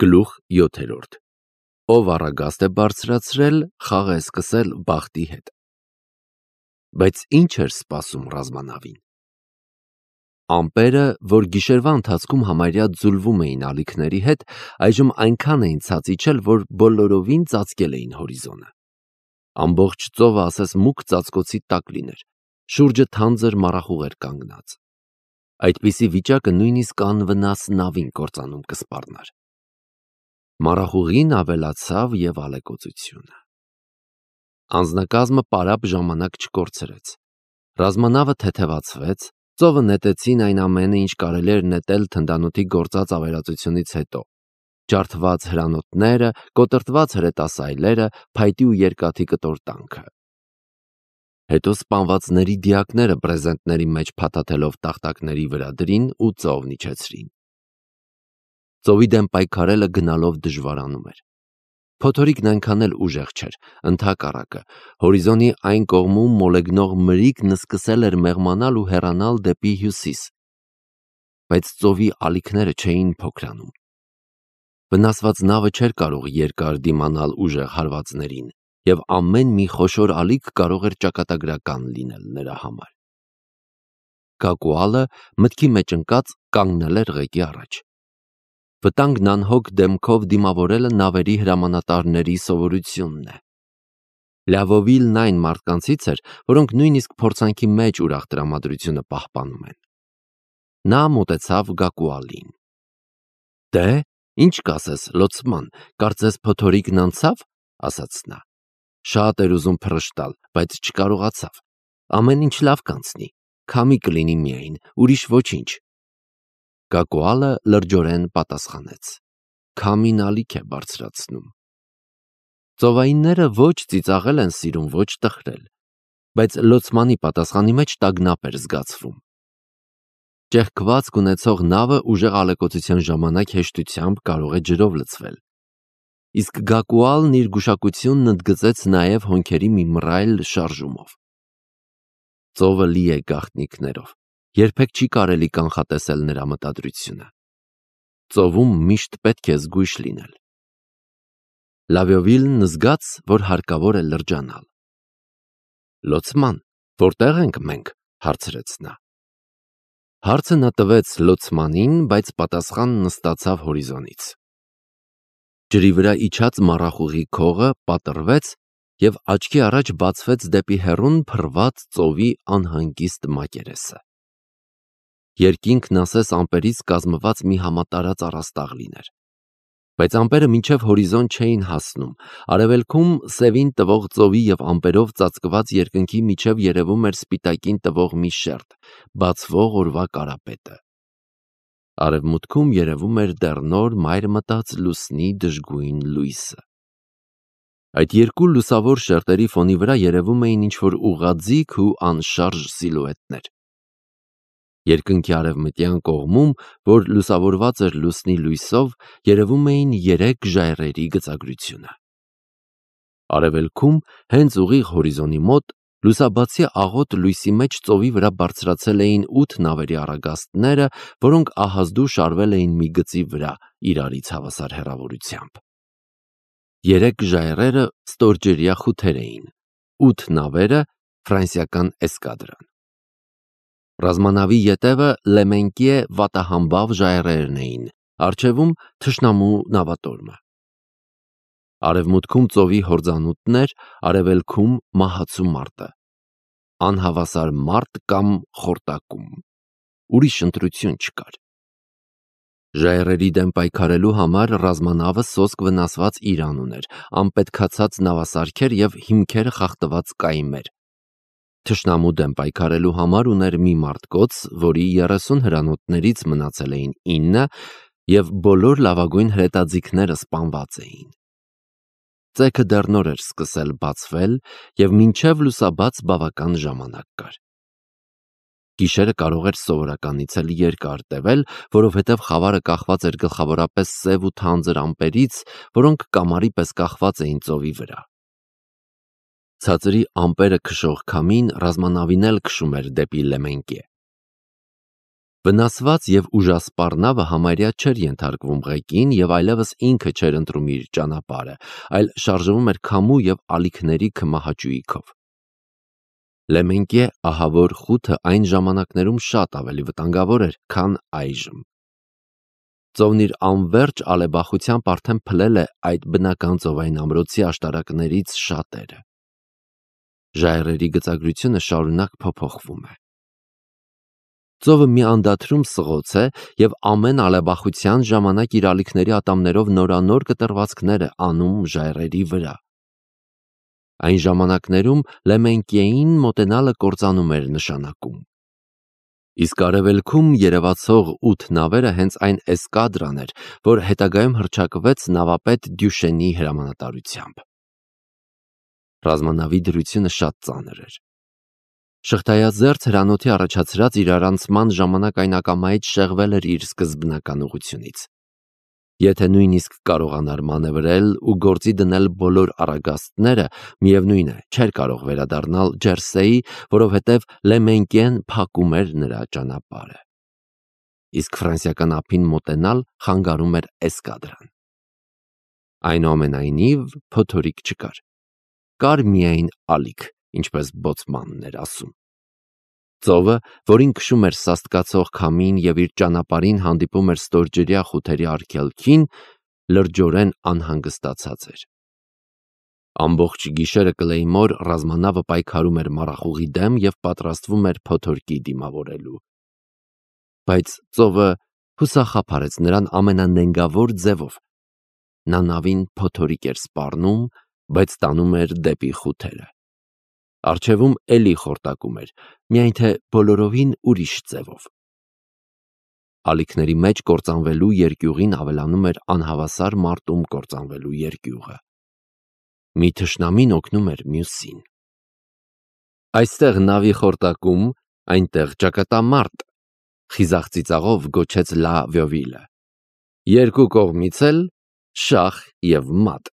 Գլուխ 7. Ով առագաստ է բարձրացրել, խաղ է սկսել բախտի հետ։ Բայց ինչ էր սպասում ռազմանավին։ Ամպերը, որ գիշերվա ընթացքում համարյա ձուլվում էին ալիքների հետ, այժմ այնքան էին ցած իջել, որ բոլորովին ծածկել էին հորիզոնը։ Ամբողջ ծովը ասես մուգ ծածկոցի տակ լիներ, շուրջը թանձր մառախուղ էր կանգնած։ Այդպիսի վիճակը նույնիսկ անվնաս նավին կործանում կսպառնար։ Մառախուղին ավելացավ և ալեկոծությունը։ Անձնակազմը պարապ ժամանակ չկորցրեց։ Ռազմանավը թեթևացվեց, ծովը նետեցին այն ամենը, ինչ կարելի էր նետել թնդանոթի գործած ավերածությունից հետո։ Ջարդված հրանոթները, կոտրտված հրետասայլերը, փայտի ու երկաթի կտորտանքը։ Հետո սպանվածների դիակները բրեզենտների մեջ փաթաթելով տախտակների վրա դրին ու ծովն իջեցրին։ Ծովի դեմ պայքարելը գնալով դժվարանում էր։ Փոթորիկն այնքան էլ ուժեղ չէր, ընդհակառակը, հորիզոնի այն կողմում մոլեգնող մրիկն սկսել էր մեղմանալ ու հեռանալ դեպի հյուսիս։ Բայց ծովի ալիքները չէին փոքրանում։ Վնասված նավը չէր կարող երկար դիմանալ ուժեղ հարվածներին, և ամեն մի խոշոր ալիք կարող էր ճակատագրական լինել նրա համար։ Գակուալը մտքի մեջ ընկած կանգնել էր ղեկի առաջ։ Վտանգն անհոգ դեմքով դիմավորելը նավերի հրամանատարների սովորությունն է։ Լավովիլն այն մարդկանցից էր, որոնք նույնիսկ փորձանքի մեջ ուրախ տրամադրությունը պահպանում են։ Նա մոտեցավ Գակուալին։ «Դե, ինչ կասես, լոցման, կարծես փոթորիկն անցավ», ասաց նա։ Շատ էր ուզում փռշտալ, բայց չկարողացավ։ Ամեն ինչ լավ կանցնի, քամի կլինի միայն, ուրիշ ոչինչ։ Գակուալը լրջորեն պատասխանեց. «Քամին ալիք է բարձրացնում»։ Ծովայինները ոչ ծիծաղել են սիրում, ոչ տխրել, բայց լոցմանի պատասխանի մեջ տագնապ էր զգացվում։ Ճեղքվածք ունեցող նավը ուժեղ ալեկոծության ժամանակ հեշտությամբ կարող է ջրով լցվել։ Իսկ Գակուալն իր գուշակությունն ընդգծեց նաև հոնքերի մի մռայլ շարժումով։ Ծովը լի է գաղտնիքներով, երբեք չի կարելի կանխատեսել նրա մտադրությունը։ Ծովում միշտ պետք է զգույշ լինել։ Լավովիլն զգաց, որ հարկավոր է լրջանալ։ «Լոցման, որտեղ ենք մենք», հարցրեց նա։ Հարցը նա տվեց լոցմանին, բայց պատասխանն ստացավ հորիզոնից։ Ջրի վրա իջած մառախուղի քողը պատռվեց և աչքի առաջ բացվեց դեպի հեռուն փռված ծովի անհանգիստ մակերեսը։ Երկինքն ասես ամպերից կազմված մի համատարած առաստաղ լիներ։ Բայց ամպերը մինչև հորիզոն չէին հասնում, արևելքում սևին տվող ծովի և ամպերով ծածկված երկնքի միջև երևում էր սպիտակին տվող մի շերտ, բացվող օրվա կարապետը։ Արևմուտքում երևում էր դեռ նոր մայր մտած լուսնի դժգույն լույսը։ Այդ երկու լուսավոր շերտերի ֆոնի վրա երևում էին ինչ-որ ուղղաձիգ ու անշարժ սիլուետներ։ Երկնքի արևմտյան կողմում, որ լուսավորված էր լուսնի լույսով, երևում էին 3 ժայռերի գծագրությունը։ Արևելքում, հենց ուղիղ հորիզոնի մոտ, լուսաբացի աղոտ լույսի մեջ ծովի վրա բարձրացել էին 8 նավերի առագաստները, որոնք ահազդու շարվել էին մի գծի վրա իրարից հավասար հեռավորությամբ։ 3 ժայռերը ստորջրյա խութեր էին, 8 նավերը ֆրանսիական էսկադրան։ Ռազմանավի ետևը Լեմենկիե վատահամբավ ժայռերն էին, առջևում թշնամու նավատորմը։ Արևմուտքում ծովի հորձանուտներ, արևելքում մահացու մարտը։ Անհավասար մարտ կամ խորտակում։ Ուրիշ ընտրություն չկար։ Ժայռերի դեմ պայքարելու համար ռազմանավը սոսկ վնասված իրան ուներ, անպետքացած նավասարքեր և հիմքերը խախտված կայմեր։ Թշնամու դեմ պայքարելու համար ուներ մի մարտկոց, որի 30 հրանոթներից մնացել էին 9 և բոլոր լավագույն հրետաձիգները սպանված էին։ Ծեքը դեռ նոր էր սկսել բացվել և մինչև լուսաբաց բավական ժամանակ կար։ Գիշերը կարող էր սովորականից էլ երկար տևել, որովհետև խավարը կախված էր գլխավորապես սև ու թանձր ամպերից, որոնք կամարի պես կախված էին ծովի վրա։ Ցածրի ամպերը քշող քամին ռազմանավին էլ քշում էր դեպի Լեմենկիե։ Վնասված և ուժասպառ նավը համարյա չէր ենթարկվում ղեկին և այլևս ինքը չէր ընտրում իր ճանապարհը, այլ շարժվում էր քամու և ալիքների քմահաճույքով։ Լեմենկե ահավոր խութը այն ժամանակներում շատ ավելի վտանգավոր էր, քան այժմ։ Ծովն իր անվերջ ալեբախությամբ արդեն փլել է այդ բնական ծովային ամրոցի աշտարակներից շատերը։ Ժայռերի գծագրությունը շարունակ փոփոխվում է։ Ծովը մի անդադրում սղոց է և ամեն ալեբախության ժամանակ իր ալիքների ատամներով նորանոր կտրվածքներ է անում ժայռերի վրա։ Այն ժամանակներում Լեմենկեին մոտենալը կործանում էր նշանակում։ Իսկ արևելքում երևացող 8 նավերը հենց այն էսկադրան էր, որ հետագայում հռչակվեց նավապետ Դյուշենի հրամանատարությամբ։ Ռազմանավի դրությունը շատ ծանր էր։ Շղթայազերծ հրանոթի առաջացրած իրարանցման ժամանակ այն ակամայից շեղվել էր իր սկզբնական ուղղությունից։ Եթե նույնիսկ կարողանար մանևրել ու գործի դնել բոլոր առագաստները, միևնույն է, չէր կարող վերադառնալ Ջերսեի, որովհետև Լեմենկեն փակում էր նրա ճանապարհը։ Իսկ ֆրանսիական ափին մոտենալ խանգարում էր էսկադրան։ Այնուամենայնիվ փոթորիկ չկար։ Կար միայն ալիք, ինչպես բոցմանն էր ասում։ Ծովը, որին քշում էր սաստկացող քամին և իր ճանապարհին հանդիպում էր ստորջրյա խութերի արգելքին, լրջորեն անհանգստացած էր։ Ամբողջ գիշերը կլեյմոր ռազմանավը պայքարում էր մառախուղի դեմ և պատրաստվում էր փոթորկի դիմավորելու։ Բայց ծովը հուսախաբարեց նրան ամենանենգավոր ձևով։ Նա նավին փոթորիկ էր սպառնում, բայց տանում էր դեպի խութերը։ Առջևում էլի խորտակում էր, միայն թե բոլորովին ուրիշ ձևով։ Ալիքների մեջ կործանվելու երկյուղին ավելանում էր անհավասար մարտում կործանվելու երկյուղը։ Մի թշնամին օգնում էր մյուսին։ Այստեղ նավի խորտակում, այնտեղ ճակատամարտ, խիզախ ծիծաղով գոչեց Լա Վյովիլը։ Երկու կողմից էլ շախ և մատ։